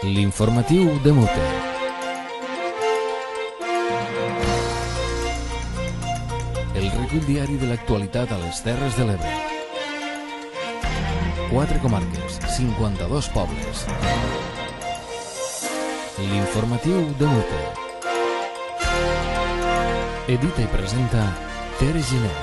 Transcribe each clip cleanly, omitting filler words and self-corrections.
L'informatiu de Mute. El recull diari de l'actualitat a les Terres de l'Ebre. 4 comarques, 52 pobles. L'informatiu de Mute. Edita i presenta Tere Giner.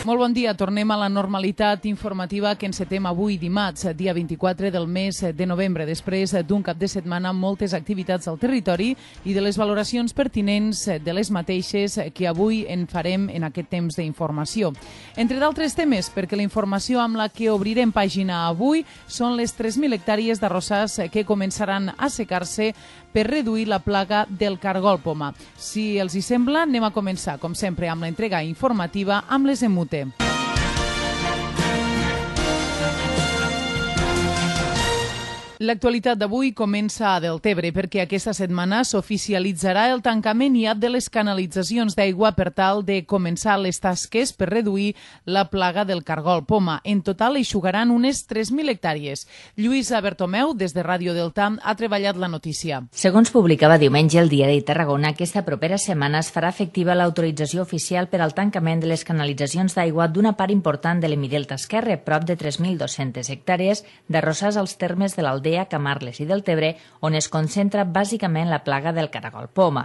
Molt bon dia, tornem a la normalitat informativa que encetem avui dimarts, dia 24 del mes de novembre, després d'un cap de setmana amb moltes activitats al territori i de les valoracions pertinents de les mateixes que avui en farem en aquest temps d'informació. Entre d'altres temes, perquè la informació amb la que obrirem pàgina avui són les 3.000 hectàrees d'arrossars que començaran a secar-se per reduir la plaga del cargol poma. Si els hi sembla, anem a començar, com sempre, amb l'entrega informativa amb les Mute. L'actualitat d'avui comença a Deltebre perquè aquesta setmana s'oficialitzarà el tancament iat de les canalitzacions d'aigua per tal de començar les tasques per reduir la plaga del cargol poma. En total eixugaran unes 3.000 hectàrees. Lluïsa Bertomeu, des de Ràdio Delta, ha treballat la notícia. Segons publicava diumenge el Diari de Tarragona, aquesta propera setmana es farà efectiva l'autorització oficial per al tancament de les canalitzacions d'aigua d'una part important de l'Hemidelta esquerre, prop de 3.200 hectàrees d'arrossars als termes de l'Aldea, Camarles i Deltebre, on es concentra bàsicament la plaga del caragol poma.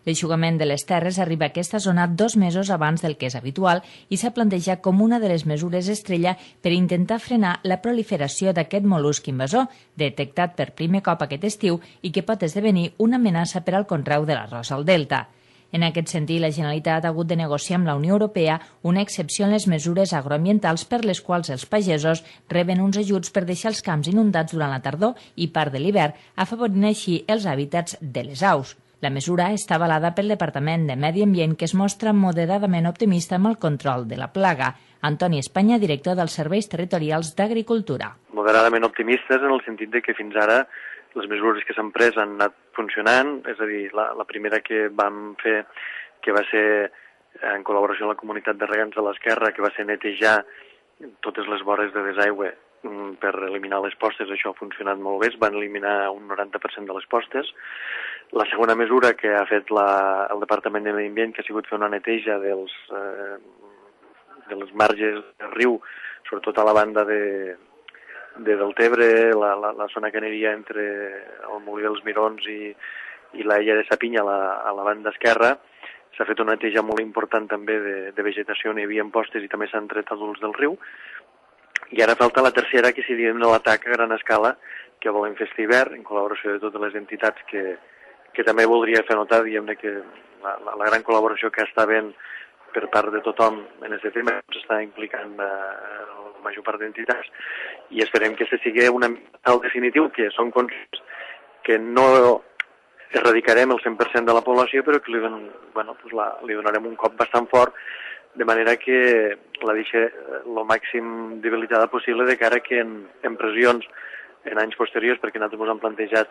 L'eixugament de les terres arriba a aquesta zona 2 mesos abans del que és habitual i s'ha plantejat com una de les mesures estrella per intentar frenar la proliferació d'aquest mol·lusc invasor, detectat per primer cop aquest estiu i que pot esdevenir una amenaça per al conreu de l'arròs al delta. En aquest sentit, la Generalitat ha hagut de negociar amb la Unió Europea una excepció en les mesures agroambientals per les quals els pagesos reben uns ajuts per deixar els camps inundats durant la tardor i part de l'hivern, afavorint així els hàbitats de les aus. La mesura està avalada pel Departament de Medi Ambient, que es mostra moderadament optimista amb el control de la plaga. Antoni Espanya, director dels Serveis Territorials d'Agricultura. Moderadament optimistes en el sentit de que fins ara les mesures que s'han pres han anat funcionant, és a dir, la primera que vam fer, que va ser en col·laboració amb la comunitat de regants de l'Esquerra, que va ser netejar totes les vores de desaigüe per eliminar les postes, això ha funcionat molt bé, es van eliminar un 90% de les postes. La segona mesura que ha fet el Departament de Medi Ambient, que ha sigut fer una neteja de les marges del riu, sobretot a la banda de Deltebre, la zona que aniria entre el Molí dels Mirons i l'Illa de Sapinya a la banda esquerra. S'ha fet una neteja molt important també de vegetació on hi havia postes i també s'han tret adults del riu. I ara falta la tercera, que seria l'atac a gran escala que volem fer aquest hivern, en col·laboració de totes les entitats que també voldria fer notar, diguem-ne, que la gran col·laboració que està havent per part de tothom en aquest tema s'està implicant la major part d'entitats i esperem que aquest sigui un tal definitiu, que són conscients que no erradicarem el 100% de la població, però que li donarem un cop bastant fort, de manera que la deixi el màxim debilitada possible de cara que en pressions en anys posteriors, perquè nosaltres ens hem plantejat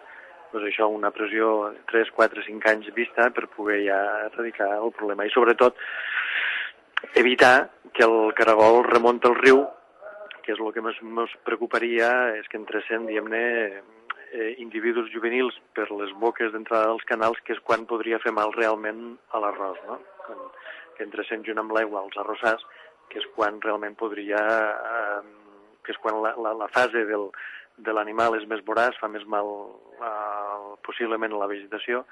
una pressió 3, 4, 5 anys vista per poder ja erradicar el problema. I sobretot evitar que el caragol remunti al riu, que és el que més preocuparia, és que entressin, diguem-ne, individus juvenils per les boques d'entrada dels canals, que és quan podria fer mal realment a l'arròs, no? Que entressin junt amb l'aigua als arrossars, que és quan realment podria, que és quan la fase de l'animal és més voraç, fa més mal possiblement a la vegetació,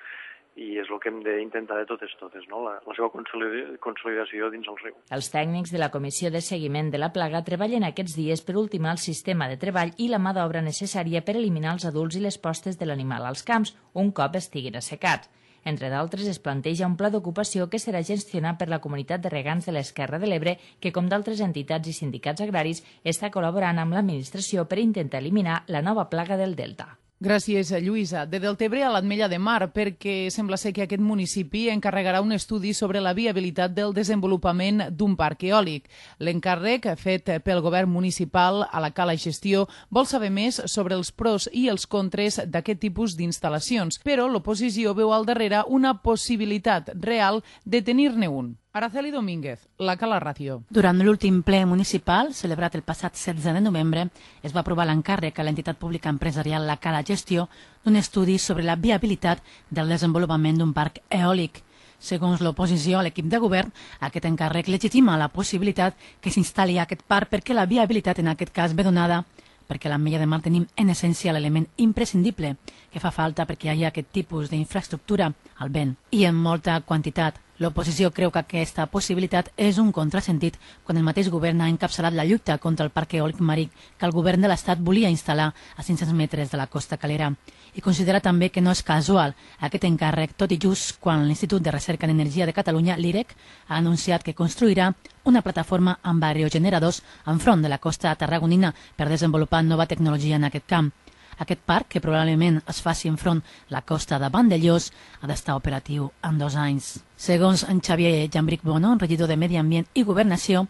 i és el que hem d'intentar de totes, no? La seva consolidació dins el riu. Els tècnics de la Comissió de Seguiment de la Plaga treballen aquests dies per ultimar el sistema de treball i la mà d'obra necessària per eliminar els adults i les postes de l'animal als camps, un cop estiguin assecats. Entre d'altres, es planteja un pla d'ocupació que serà gestionat per la Comunitat de Regants de l'Esquerra de l'Ebre, que, com d'altres entitats i sindicats agraris, està col·laborant amb l'administració per intentar eliminar la nova plaga del delta. Gràcies, Lluïsa. De Deltebre a l'Ametlla de Mar, perquè sembla ser que aquest municipi encarregarà un estudi sobre la viabilitat del desenvolupament d'un parc eòlic. L'encàrrec, fet pel govern municipal a la Cala Gestió, vol saber més sobre els pros i els contres d'aquest tipus d'instal·lacions, però l'oposició veu al darrere una possibilitat real de tenir-ne un. Araceli Domínguez, la Cala Ràdio. Durant l'últim ple municipal, celebrat el passat 16 de novembre, es va aprovar l'encàrrec a l'entitat pública empresarial La Cala Gestió d'un estudi sobre la viabilitat del desenvolupament d'un parc eòlic. Segons l'oposició a l'equip de govern, aquest encàrrec legitima la possibilitat que s'instal·li aquest parc perquè la viabilitat en aquest cas ve donada perquè a l'Ametlla de Mar tenim en essència l'element imprescindible que fa falta perquè hi hagi aquest tipus d'infraestructura al vent i en molta quantitat. L'oposició creu que aquesta possibilitat és un contrasentit quan el mateix govern ha encapçalat la lluita contra el parc eòlic marí que el govern de l'Estat volia instal·lar a 500 metres de la costa calera. I considera també que no és casual aquest encàrrec, tot i just quan l'Institut de Recerca en Energia de Catalunya, l'IREC, ha anunciat que construirà una plataforma amb aerogeneradors enfront de la costa tarragonina per desenvolupar nova tecnologia en aquest camp. Aquest parc, que probablement es faci enfront la costa de Vandellós, ha d'estar operatiu en 2 anys. Segons en Xavier Jambric Bono, regidor de Medi Ambient i Governació,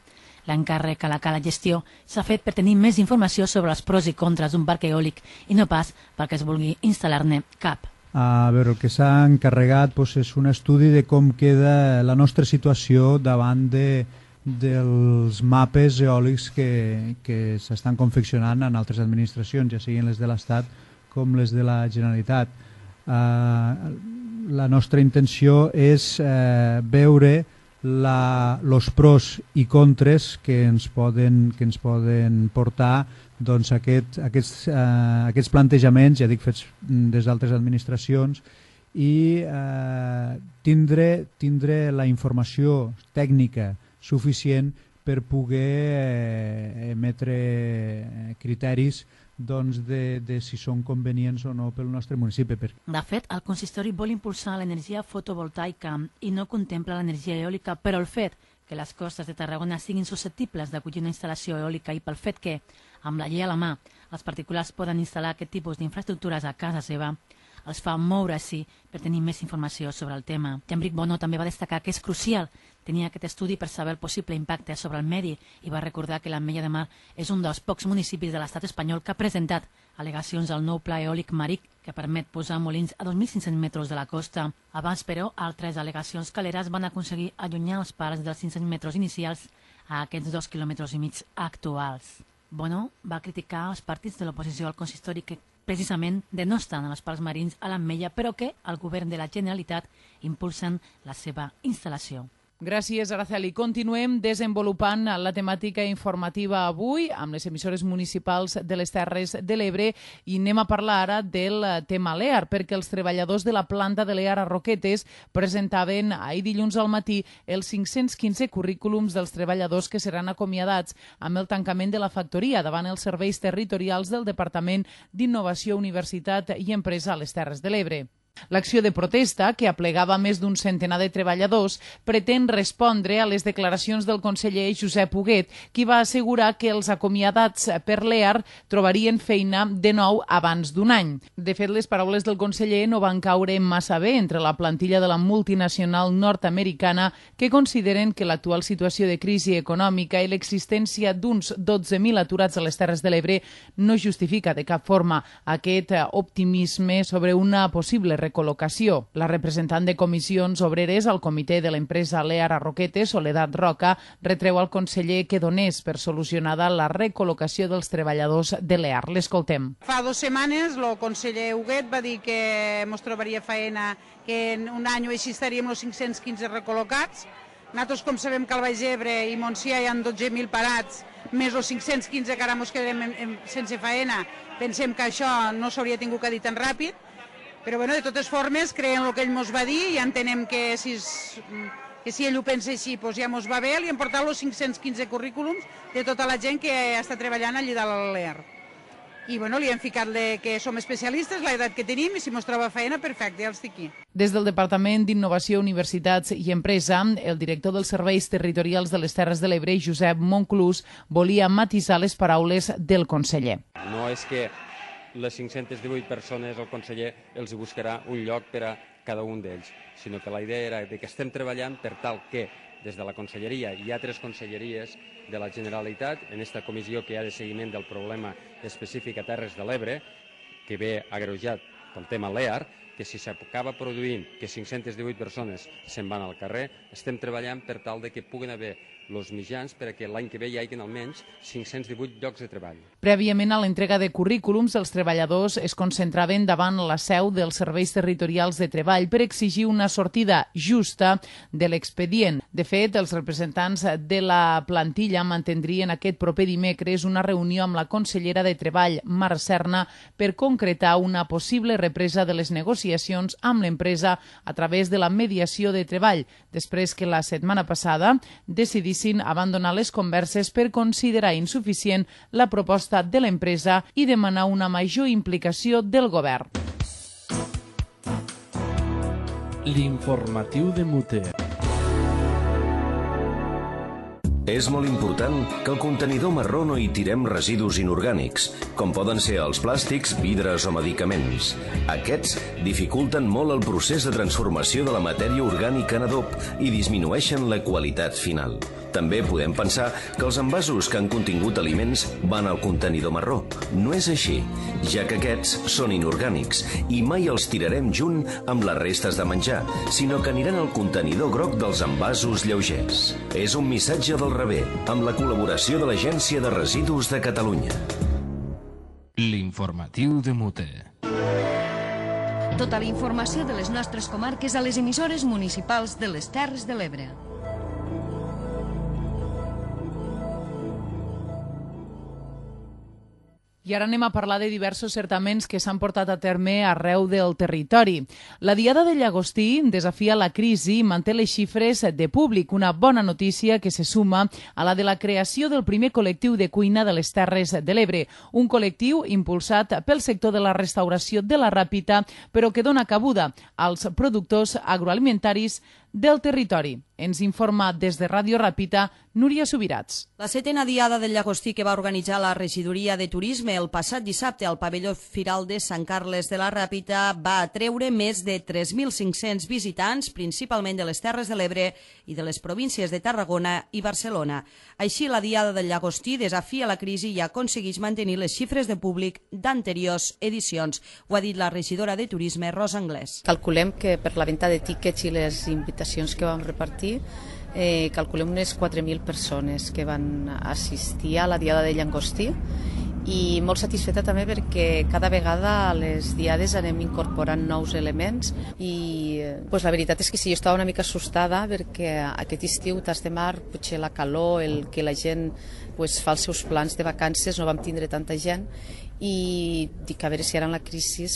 l'encàrrec a la Cala Gestió s'ha fet per tenir més informació sobre els pros i contres d'un parc eòlic i no pas perquè es vulgui instal·lar-ne cap. A veure, el que s'ha encarregat és un estudi de com queda la nostra situació davant dels mapes eòlics que s'estan confeccionant en altres administracions, ja siguin les de l'Estat com les de la Generalitat. La nostra intenció és veure els pros i contres que ens poden portar doncs, aquests plantejaments, ja dic, fets des d'altres administracions, i tindre la informació tècnica suficient per poder emetre criteris de si són convenients o no pel nostre municipi. De fet, el consistori vol impulsar l'energia fotovoltaica i no contempla l'energia eòlica, però el fet que les costes de Tarragona siguin susceptibles d'acollir una instal·lació eòlica i pel fet que, amb la llei a la mà, els particulars poden instal·lar aquest tipus d'infraestructures a casa seva, els fa moure-s'hi per tenir més informació sobre el tema. Jambric Bono també va destacar que és crucial tenir aquest estudi per saber el possible impacte sobre el medi i va recordar que l'Ametlla de Mar és un dels pocs municipis de l'estat espanyol que ha presentat al·legacions al nou pla eòlic marí que permet posar molins a 2.500 metres de la costa. Abans, però, altres al·legacions caleres van aconseguir allunyar els parcs dels 500 metres inicials a aquests 2,5 quilòmetres actuals. Bono va criticar els partits de l'oposició al consistori que precisament denosten els parcs marins a l'Ametlla, però que el govern de la Generalitat impulsen la seva instal·lació. Gràcies, Araceli. Continuem desenvolupant la temàtica informativa avui amb les emissores municipals de les Terres de l'Ebre i anem a parlar ara del tema LEAR, perquè els treballadors de la planta de LEAR a Roquetes presentaven ahir dilluns al matí els 515 currículums dels treballadors que seran acomiadats amb el tancament de la factoria davant els serveis territorials del Departament d'Innovació, Universitat i Empresa a les Terres de l'Ebre. L'acció de protesta, que aplegava més d'un centenar de treballadors, pretén respondre a les declaracions del conseller Josep Huguet, qui va assegurar que els acomiadats per l'EAR trobarien feina de nou abans d'un any. De fet, les paraules del conseller no van caure massa bé entre la plantilla de la multinacional nord-americana, que consideren que l'actual situació de crisi econòmica i l'existència d'uns 12.000 aturats a les Terres de l'Ebre no justifica de cap forma aquest optimisme sobre una possible recol·locació. La representant de comissions obreres al comitè de l'empresa LEAR a Roquetes, Soledad Roca, retreu al conseller que donés per solucionada la recol·locació dels treballadors de l'EAR. L'escoltem. Fa 2 setmanes el conseller Huguet va dir que ens trobaria feina, que en un any o així estaríem els 515 recol·locats. Nosaltres, com sabem que al Baix Ebre i Montsià hi ha 12.000 parats, més els 515 que ara ens quedarem sense feina, pensem que això no s'hauria tingut que dir tan ràpid. Però bueno, de totes formes, creiem el que ell ens va dir i entenem que si ell ho pensa així, doncs ja ens va bé. Li hem portat els 515 currículums de tota la gent que està treballant allà dalt a l'EAR. I bueno, li hem ficat que som especialistes, l'edat que tenim, i si ens troba feina, perfecte, ja els estic aquí. Des del Departament d'Innovació, Universitats i Empresa, el director dels Serveis Territorials de les Terres de l'Ebre, Josep Monclús, volia matisar les paraules del conseller. No és que les 518 persones el conseller els buscarà un lloc per a cada un d'ells, sinó que la idea era que estem treballant per tal que des de la conselleria i altres conselleries de la Generalitat, en aquesta comissió que hi ha de seguiment del problema específic a Terres de l'Ebre, que ve agreujat pel tema LEAR, que si s'acaba produint que 518 persones se'n van al carrer, estem treballant per tal de que puguin haver els mitjans perquè l'any que ve hi hagi almenys 518 llocs de treball. Prèviament a l'entrega de currículums, els treballadors es concentraven davant la seu dels serveis territorials de treball per exigir una sortida justa de l'expedient. De fet, els representants de la plantilla mantindrien aquest proper dimecres una reunió amb la consellera de Treball, Mar Serna, per concretar una possible represa de les negociacions amb l'empresa a través de la mediació de treball, després que la setmana passada decidissin abandonar les converses per considerar insuficient la proposta de l'empresa i demanar una major implicació del govern. L'informatiu de Muter. És molt important que al contenidor marró no hi tirem residus inorgànics, com poden ser els plàstics, vidres o medicaments. Aquests dificulten molt el procés de transformació de la matèria orgànica en adob i disminueixen la qualitat final. També podem pensar que els envasos que han contingut aliments van al contenidor marró. No és així, ja que aquests són inorgànics i mai els tirarem junt amb les restes de menjar, sinó que aniran al contenidor groc dels envasos lleugers. És un missatge del rebé, amb la col·laboració de l'Agència de Residus de Catalunya. L'informatiu de Muter. Tota la informació de les nostres comarques a les emissores municipals de les Terres de l'Ebre. I ara anem a parlar de diversos certaments que s'han portat a terme arreu del territori. La Diada de Llagostí desafia la crisi i manté les xifres de públic, una bona notícia que se suma a la de la creació del primer col·lectiu de cuina de les Terres de l'Ebre, un col·lectiu impulsat pel sector de la restauració de la Ràpita, però que dona cabuda als productors agroalimentaris del territori. Ens informa des de Ràdio Ràpita Núria Subirats. La 7a Diada del Llagostí que va organitzar la Regidoria de Turisme el passat dissabte al pavelló Firal de Sant Carles de la Ràpita va atreure més de 3.500 visitants, principalment de les Terres de l'Ebre i de les províncies de Tarragona i Barcelona. Així, la Diada del Llagostí desafia la crisi i aconsegueix mantenir les xifres de públic d'anteriors edicions. Ho ha dit la regidora de Turisme, Rosa Anglès. Calculem que per la venda de tíquets i les invitacions que vam repartir, calculem unes 4.000 persones que van assistir a la Diada de Llagostí i molt satisfeta també perquè cada vegada a les diades anem incorporant nous elements i la veritat és que sí, jo estava una mica assustada perquè aquest estiu, tas de mar, potser la calor, el que la gent fa els seus plans de vacances, no vam tindre tanta gent i dic a veure si ara en la crisi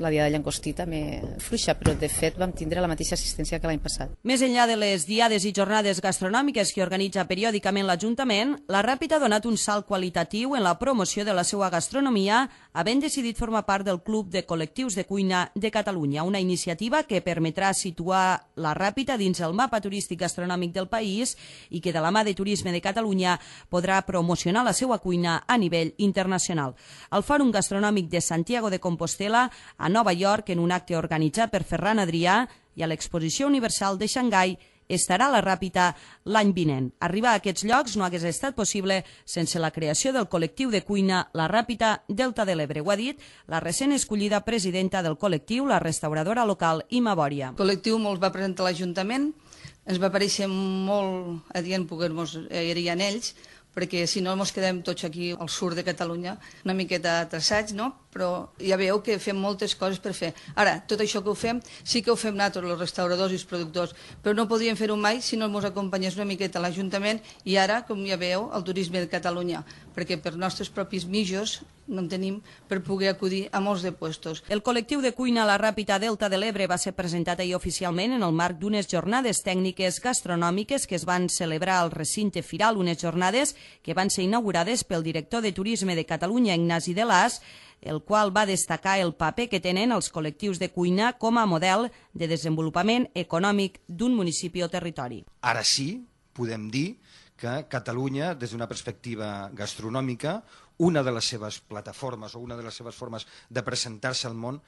la Diada de Llagostí també fluixa, però de fet vam tindre la mateixa assistència que l'any passat. Més enllà de les diades i jornades gastronòmiques que organitza periòdicament l'Ajuntament, la Ràpita ha donat un salt qualitatiu en la promoció de la seva gastronomia, havent decidit formar part del Club de Col·lectius de Cuina de Catalunya, una iniciativa que permetrà situar la Ràpita dins el mapa turístic gastronòmic del país i que de la mà de Turisme de Catalunya podrà promocionar la seva cuina a nivell internacional. Al Fòrum Gastronòmic de Santiago de Compostela, a Nova York, en un acte organitzat per Ferran Adrià, i a l'Exposició Universal de Xangai, estarà la Ràpita l'any vinent. Arribar a aquests llocs no hagués estat possible sense la creació del col·lectiu de cuina La Ràpita Delta de l'Ebre. Ho ha dit la recent escollida presidenta del col·lectiu, la restauradora local Ima Bòria. El col·lectiu me'l va presentar l'Ajuntament, ens va parèixer molt adient poder-nos ir en ells, perquè si no ens quedem tots aquí al sud de Catalunya, una miqueta traçats, no? Però ja veieu que fem moltes coses per fer. Ara, tot això que ho fem, sí que ho fem nosaltres, els restauradors i els productors, però no podríem fer-ho mai si no ens acompanyés una miqueta l'Ajuntament i ara, com ja veieu, el Turisme de Catalunya, perquè per nostres propis mitjos no en tenim per poder acudir a molts de puestos. El col·lectiu de cuina La Ràpita Delta de l'Ebre va ser presentat ahir oficialment en el marc d'unes jornades tècniques gastronòmiques que es van celebrar al recinte Firal, unes jornades que van ser inaugurades pel director de Turisme de Catalunya, Ignasi de Las, el qual va destacar el paper que tenen els col·lectius de cuina com a model de desenvolupament econòmic d'un municipi o territori. Ara sí, podem dir que Catalunya, des d'una perspectiva gastronòmica, una de les seves plataformes o una de les seves formes de presentar-se al món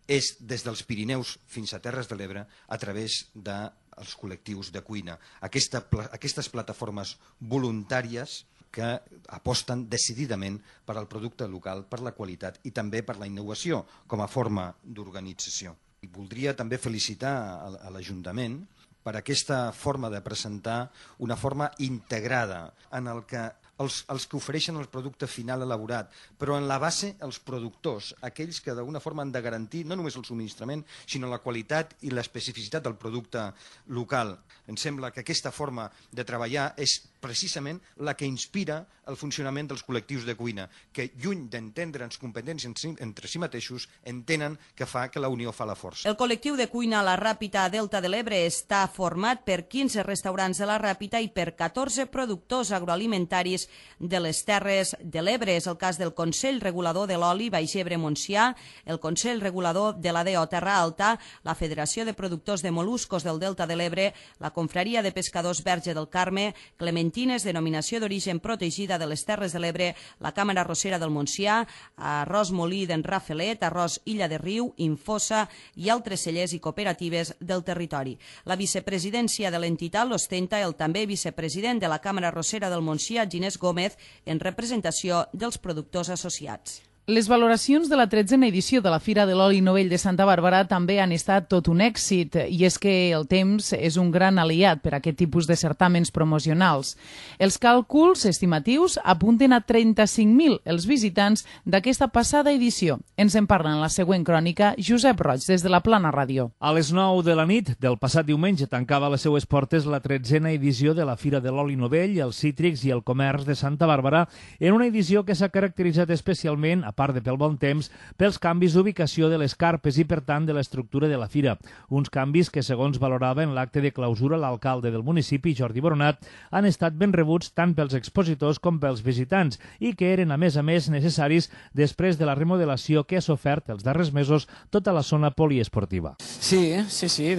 és des dels Pirineus fins a Terres de l'Ebre a través dels col·lectius de cuina. Aquestes plataformes voluntàries que aposten decididament per al producte local, per la qualitat i també per la innovació com a forma d'organització. Voldria també felicitar a l'Ajuntament per aquesta forma de presentar una forma integrada en el que els que ofereixen el producte final elaborat, però en la base els productors, aquells que d'alguna forma han de garantir no només el subministrament, sinó la qualitat i l'especificitat del producte local. Em sembla que aquesta forma de treballar és precisament la que inspira el funcionament dels col·lectius de cuina, que lluny d'entendre'ns competències entre si mateixos, entenen que fa que la unió fa la força. El col·lectiu de cuina La Ràpita Delta de l'Ebre està format per 15 restaurants de La Ràpita i per 14 productors agroalimentaris de les Terres de l'Ebre. És el cas del Consell Regulador de l'Oli Baix Ebre-Montsià, el Consell Regulador de la DO Terra Alta, la Federació de Productors de Moluscos del Delta de l'Ebre, la Confraria de Pescadors Verge del Carme, Clementines, denominació d'origen protegida de les Terres de l'Ebre, la Càmera Arrossera del Montsià, Arròs Molí d'en Rafelet, Arròs Illa de Riu, Infosa i altres cellers i cooperatives del territori. La vicepresidència de l'entitat l'ostenta el també vicepresident de la Càmera Arrossera del Montsià, Ginés Gómez, en representació dels productors associats. Les valoracions de la 13a edició de la Fira de l'Oli Novell de Santa Bàrbara també han estat tot un èxit, i és que el temps és un gran aliat per a aquest tipus de certàmens promocionals. Els càlculs estimatius apunten a 35.000 els visitants d'aquesta passada edició. Ens en parla en la següent crònica Josep Roig, des de la Plana Ràdio. A les 9 de la nit del passat diumenge tancava les seues portes la 13a edició de la Fira de l'Oli Novell, els cítrics i el comerç de Santa Bàrbara, en una edició que s'ha caracteritzat especialment, a part de pel bon temps, pels canvis d'ubicació de les carpes i, per tant, de l'estructura de la fira. Uns canvis que, segons valorava en l'acte de clausura l'alcalde del municipi, Jordi Boronat, han estat ben rebuts tant pels expositors com pels visitants i que eren, a més, necessaris després de la remodelació que ha sofert els darrers mesos tota la zona poliesportiva. Sí,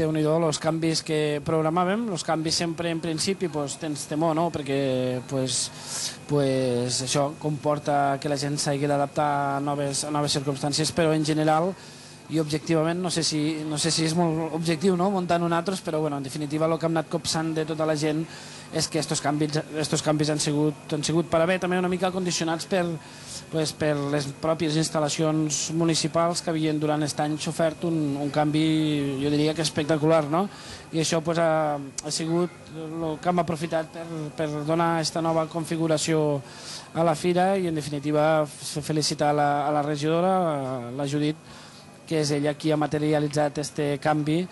Déu-n'hi-do, els canvis que programàvem, els canvis sempre en principi tens temor, no? Perquè això comporta que la gent s'hagi d'adaptar a noves circumstàncies, però en general i objectivament, no sé si és molt objectiu, no?, muntant un altre, però bueno, en definitiva el que hem anat copsant de tota la gent és que estos canvis han sigut per a bé, també una mica condicionats per les pròpies instal·lacions municipals que havien durant aquest any sofert un canvi, jo diria que espectacular, no? I això ha sigut el que hem aprofitat per donar aquesta nova configuració a la fira i, en definitiva, felicitar a la regidora, la Judit, que és ella qui ha materialitzat aquest canvi,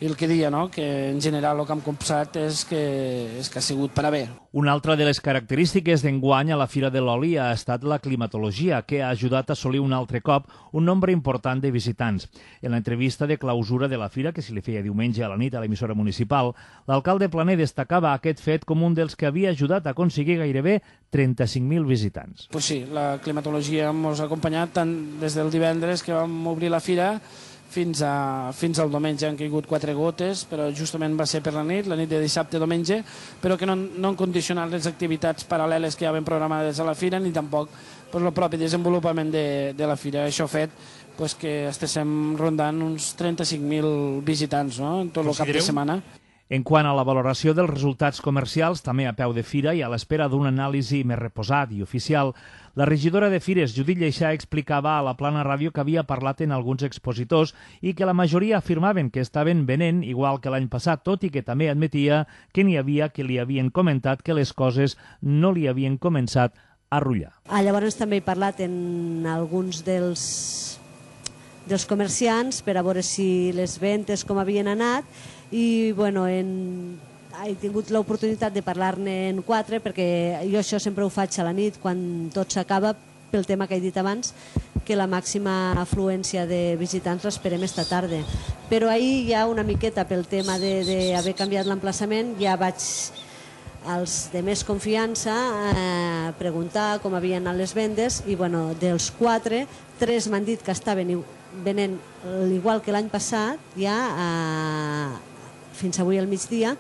i el que deia, no?, que en general el que hem copsat és que ha sigut per a bé. Una altra de les característiques d'enguany a la Fira de l'Oli ha estat la climatologia, que ha ajudat a assolir un altre cop un nombre important de visitants. En l'entrevista de clausura de la Fira, que se li feia diumenge a la nit a l'emissora municipal, l'alcalde Planer destacava aquest fet com un dels que havia ajudat a aconseguir gairebé 35.000 visitants. Pues sí, la climatologia ens ha acompanyat tant des del divendres que vam obrir la Fira fins al diumenge. Han caigut 4 gotes, però justament va ser per la nit de dissabte-diumenge, però que no han condicionat les activitats paral·leles que hi havien programades a la Fira, ni tampoc el propi desenvolupament de la Fira. Això ha fet que estiguem rondant uns 35.000 visitants, no?, en tot el cap de setmana. En quant a la valoració dels resultats comercials, també a peu de fira i a l'espera d'un anàlisi més reposat i oficial, la regidora de Fires, Judit Lleixà, explicava a la Plana Ràdio que havia parlat en alguns expositors i que la majoria afirmaven que estaven venent igual que l'any passat, tot i que també admetia que n'hi havia que li havien comentat que les coses no li havien començat a rullar. Llavors també he parlat en alguns dels comerciants per a veure si les ventes com havien anat, i bueno, he tingut l'oportunitat de parlar-ne en 4, perquè jo això sempre ho faig a la nit quan tot s'acaba, pel tema que he dit abans, que la màxima afluència de visitants l'esperem esta tarda. Però ahir ja una miqueta pel tema d'haver canviat l'emplaçament, ja vaig als de més confiança preguntar com havien anat les vendes, i bueno, dels 4, 3 m'han dit que estaven venent igual que l'any passat, ja fins avui al migdia,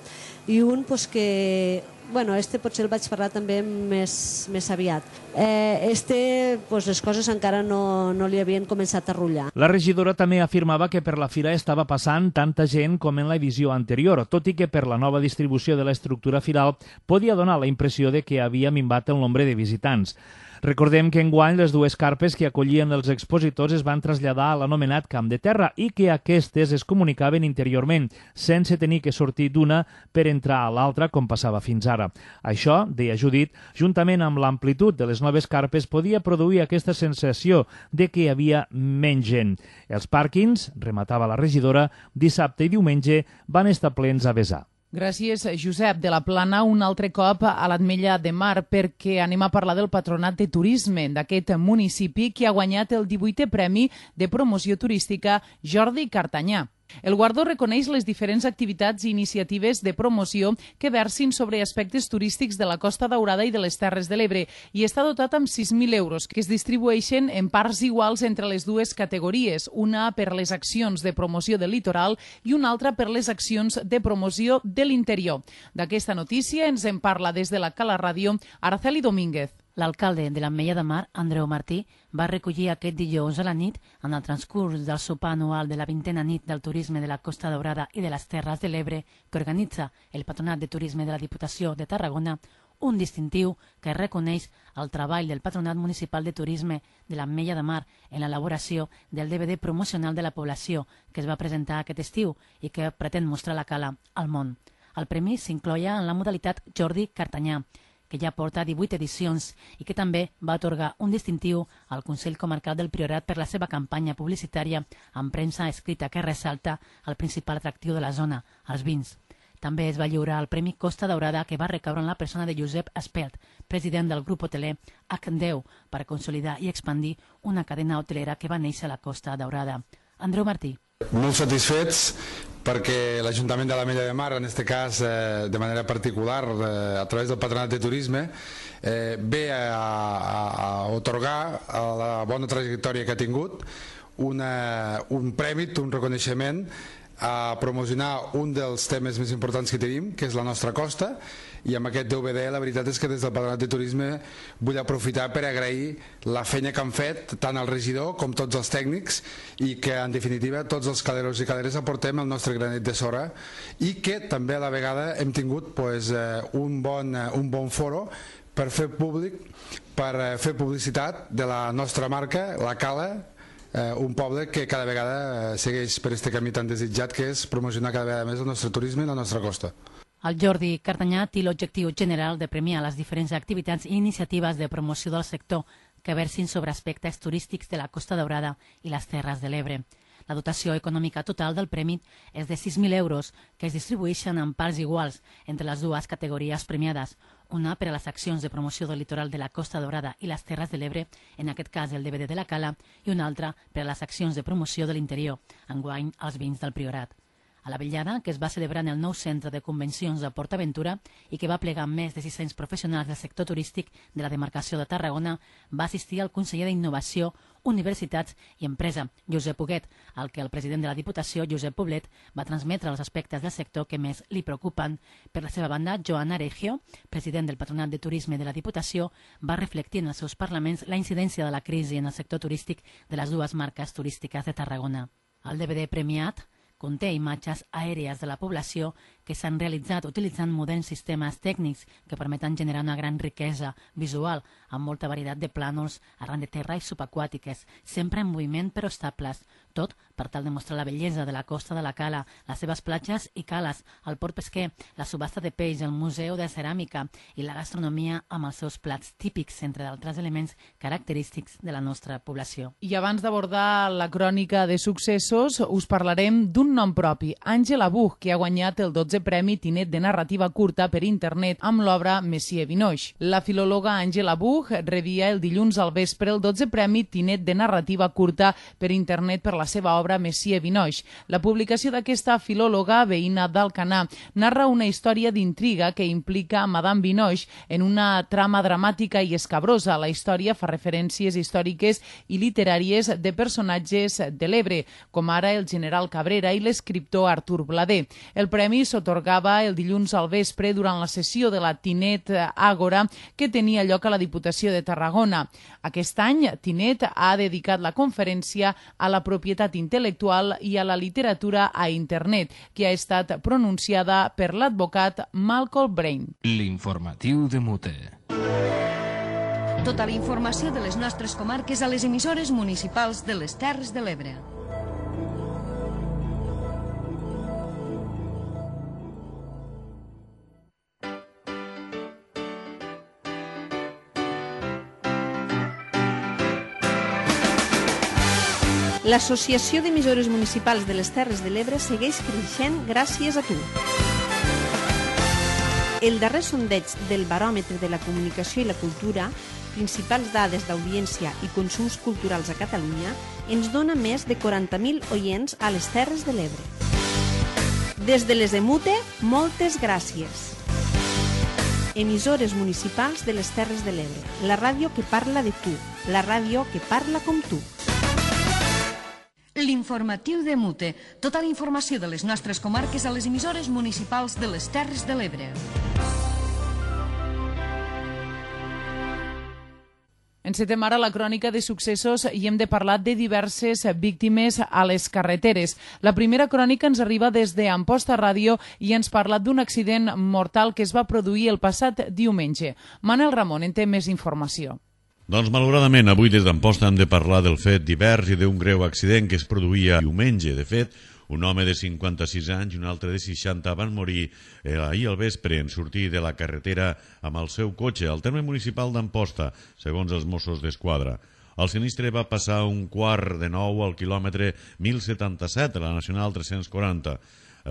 i un que, bueno, potser el vaig parlar també més aviat. Les coses encara no li havien començat a rutllar. La regidora també afirmava que per la fira estava passant tanta gent com en l'edició anterior, tot i que per la nova distribució de l'estructura firal podia donar la impressió de que havia minvat el nombre de visitants. Recordem que enguany les dues carpes que acollien els expositors es van traslladar a l'anomenat Camp de Terra i que aquestes es comunicaven interiorment, sense tenir que sortir d'una per entrar a l'altra com passava fins ara. Això, deia Judit, juntament amb l'amplitud de les noves carpes podia produir aquesta sensació de que hi havia menys gent. Els pàrquings, rematava la regidora, dissabte i diumenge van estar plens a vessar. Gràcies, Josep. De la Plana, un altre cop a l'Ametlla de Mar, perquè anem a parlar del Patronat de Turisme d'aquest municipi que ha guanyat el 18è Premi de Promoció Turística Jordi Cartanyà. El guardó reconeix les diferents activitats i iniciatives de promoció que versin sobre aspectes turístics de la Costa Daurada i de les Terres de l'Ebre i està dotat amb 6.000 euros, que es distribueixen en parts iguals entre les dues categories, una per les accions de promoció del litoral i una altra per les accions de promoció de l'interior. D'aquesta notícia ens en parla des de la Cala Ràdio Araceli Domínguez. L'alcalde de l'Ametlla de Mar, Andreu Martí, va recollir aquest dijous a la nit, en el transcurs del sopar anual de la 20a nit del turisme de la Costa Daurada i de les Terres de l'Ebre, que organitza el Patronat de Turisme de la Diputació de Tarragona, un distintiu que reconeix el treball del Patronat Municipal de Turisme de l'Ametlla de Mar en l'elaboració del DVD promocional de la població que es va presentar aquest estiu i que pretén mostrar la cala al món. El premi s'incloia en la modalitat Jordi Cartanyà, que ja porta 18 edicions i que també va atorgar un distintiu al Consell Comarcal del Priorat per la seva campanya publicitària amb premsa escrita que ressalta el principal atractiu de la zona, els vins. També es va lliurar el Premi Costa Daurada, que va recaure en la persona de Josep Espelt, president del grup hoteler H10, per consolidar i expandir una cadena hotelera que va néixer a la Costa Daurada. Andreu Martí. Molt satisfets perquè l'Ajuntament de l'Ametlla de Mar, en aquest cas de manera particular a través del Patronat de Turisme, ve a otorgar a la bona trajectòria que ha tingut un premi, un reconeixement a promocionar un dels temes més importants que tenim, que és la nostra costa, i amb aquest DVD la veritat és que des del Patronat de Turisme vull aprofitar per agrair la feina que han fet tant el regidor com tots els tècnics i que en definitiva tots els caleros i caleres aportem el nostre granet de sorra i que també a la vegada hem tingut un bon foro per fer públic, per fer publicitat de la nostra marca, la Cala, un poble que cada vegada segueix per aquest camí tan desitjat que és promocionar cada vegada més el nostre turisme i la nostra costa. El Jordi Cartanyà té l'objectiu general de premiar les diferents activitats i iniciatives de promoció del sector que versin sobre aspectes turístics de la Costa Daurada i les Terres de l'Ebre. La dotació econòmica total del premi és de 6.000 euros, que es distribueixen en parts iguals entre les dues categories premiades, una per a les accions de promoció del litoral de la Costa Daurada i les Terres de l'Ebre, en aquest cas el DVD de la Cala, i una altra per a les accions de promoció de l'interior, enguany els vins del Priorat. A la vetllada, que es va celebrar en el nou centre de convencions de PortAventura i que va plegar més de 600 professionals del sector turístic de la demarcació de Tarragona, va assistir el conseller d'Innovació, Universitats i Empresa, Josep Huguet, al que el president de la Diputació, Josep Poblet, va transmetre els aspectes del sector que més li preocupen. Per la seva banda, Joan Aregio, president del Patronat de Turisme de la Diputació, va reflectir en els seus parlaments la incidència de la crisi en el sector turístic de les dues marques turístiques de Tarragona. El DVD premiat conté imatges aèries de la població que s'han realitzat utilitzant moderns sistemes tècnics que permeten generar una gran riquesa visual amb molta varietat de plànols arran de terra i subaquàtiques, sempre en moviment però estables, tot per tal de mostrar la bellesa de la costa de la Cala, les seves platges i cales, el port pesquer, la subhasta de peix, el museu de ceràmica i la gastronomia amb els seus plats típics, entre d'altres elements característics de la nostra població. I abans d'abordar la crònica de successos, us parlarem d'un nom propi, Àngela Buch, que ha guanyat el 12è Premi Tinet de Narrativa Curta per internet amb l'obra Messier Vinoix. La filòloga Àngela Buch rebia el dilluns al vespre el 12è Premi Tinet de Narrativa Curta per internet per la seva obra Messier Vinoix. La publicació d'aquesta filòloga, veïna d'Alcanar, narra una història d'intriga que implica Madame Vinoix en una trama dramàtica i escabrosa. La història fa referències històriques i literàries de personatges de l'Ebre, com ara el general Cabrera i l'escriptor Artur Blader. El premi s'atorgava el dilluns al vespre durant la sessió de la Tinet Àgora que tenia lloc a la Diputació de Tarragona. Aquest any, Tinet ha dedicat la conferència a la propietat intel·lectual i a la literatura a internet, que ha estat pronunciada per l'advocat Malcolm Brain. L'informatiu de Mute. Tota la informació de les nostres comarques a les emissores municipals de les Terres de l'Ebre. L'Associació d'Emissores Municipals de les Terres de l'Ebre segueix creixent gràcies a tu. El darrer sondeig del Baròmetre de la Comunicació i la Cultura, principals dades d'audiència i consums culturals a Catalunya, ens dona més de 40.000 oients a les Terres de l'Ebre. Des de les EMUTE, moltes gràcies. Emissores municipals de les Terres de l'Ebre, la ràdio que parla de tu, la ràdio que parla com tu. L'informatiu de Mute. Tota la informació de les nostres comarques a les emissores municipals de les Terres de l'Ebre. Encetem ara la crònica de successos i hem de parlar de diverses víctimes a les carreteres. La primera crònica ens arriba des d'Amposta Ràdio i ens parla d'un accident mortal que es va produir el passat diumenge. Manel Ramon en té més informació. Doncs malauradament avui des d'Amposta hem de parlar del fet divers i d'un greu accident que es produïa diumenge. De fet, un home de 56 anys i un altre de 60 van morir ahir al vespre en sortir de la carretera amb el seu cotxe al terme municipal d'Amposta, segons els Mossos d'Esquadra. El sinistre va passar 8:45 al quilòmetre 1077 a la Nacional 340.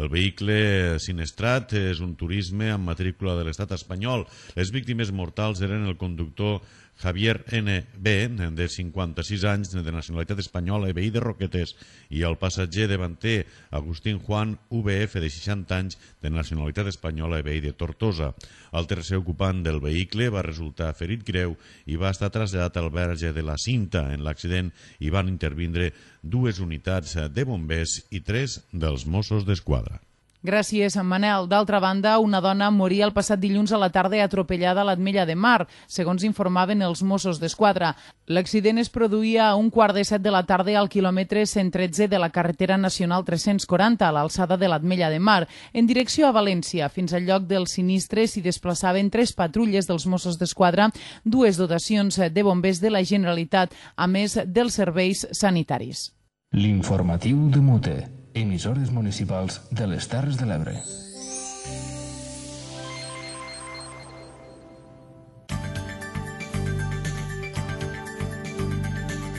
El vehicle sinistrat és un turisme amb matrícula de l'estat espanyol. Les víctimes mortals eren el conductor Javier N.B., de 56 anys, de nacionalitat espanyola i veí de Roquetes, i el passatger davanter Agustín Juan V.F., de 60 anys, de nacionalitat espanyola i veí de Tortosa. El tercer ocupant del vehicle va resultar ferit greu i va estar traslladat al verge de la Cinta. En l'accident hi van intervindre 2 unitats de bombers i 3 dels Mossos d'Esquadra. Gràcies, Manel. D'altra banda, una dona moria el passat dilluns a la tarda atropellada a l'Ametlla de Mar, segons informaven els Mossos d'Esquadra. L'accident es produïa a 6:45 de la tarda al quilòmetre 113 de la carretera nacional 340, a l'alçada de l'Ametlla de Mar. En direcció a València, fins al lloc del sinistre s'hi desplaçaven 3 patrulles dels Mossos d'Esquadra, 2 dotacions de bombers de la Generalitat, a més dels serveis sanitaris. L'informatiu de Mute. Emissores municipals de les Terres de l'Ebre.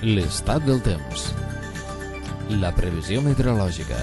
L'estat del temps. La previsió meteorològica.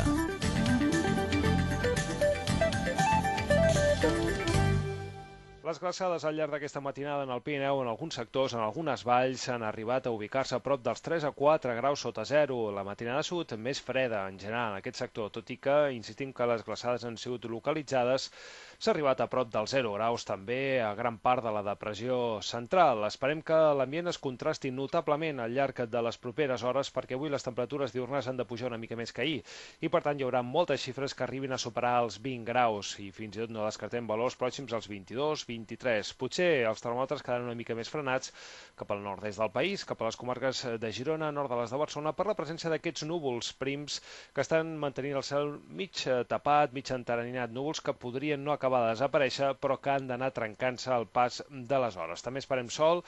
Les glaçades al llarg d'aquesta matinada en el Pirineu, en alguns sectors, en algunes valls, han arribat a ubicar-se a prop dels 3 a 4 graus sota zero. La matinada ha sigut més freda, en general, en aquest sector, tot i que, insistim que les glaçades han sigut localitzades, s'ha arribat a prop dels 0 graus també a gran part de la depressió central. Esperem que l'ambient es contrasti notablement al llarg de les properes hores, perquè avui les temperatures diurnes han de pujar una mica més que ahir, i per tant hi haurà moltes xifres que arribin a superar els 20 graus, i fins i tot no descartem valors pròxims als 22, 23. Potser els termòmetres quedaran una mica més frenats cap al nord-est del país, cap a les comarques de Girona, nord de les de Barcelona, per la presència d'aquests núvols prims que estan mantenint el cel mig tapat, mig entarinat, núvols que podrien no acabar de desaparèixer, però que han d'anar trencant-se al pas de les hores. També esperem sol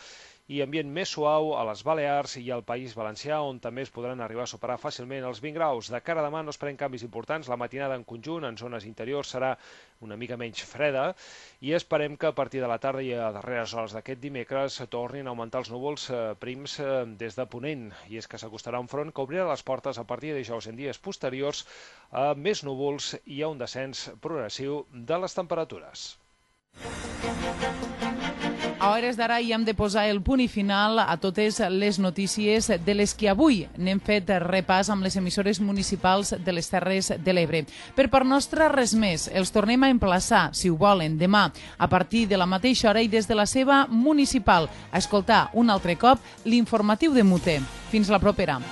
i ambient més suau a les Balears i al País Valencià, on també es podran arribar a superar fàcilment els 20 graus. De cara a demà no esperem canvis importants. La matinada en conjunt, en zones interiors, serà una mica menys freda i esperem que a partir de la tarda i a darreres hores d'aquest dimecres tornin a augmentar els núvols prims des de Ponent. I és que s'acostarà un front que obrirà les portes a partir de dijous en dies posteriors a més núvols i a un descens progressiu de les temperatures. A hores d'ara hi hem de posar el punt i final a totes les notícies de les que avui n'hem fet repàs amb les emissores municipals de les Terres de l'Ebre. Per part nostra, res més. Els tornem a emplaçar, si ho volen, demà, a partir de la mateixa hora i des de la seva municipal, a escoltar un altre cop l'informatiu de Mute. Fins la propera.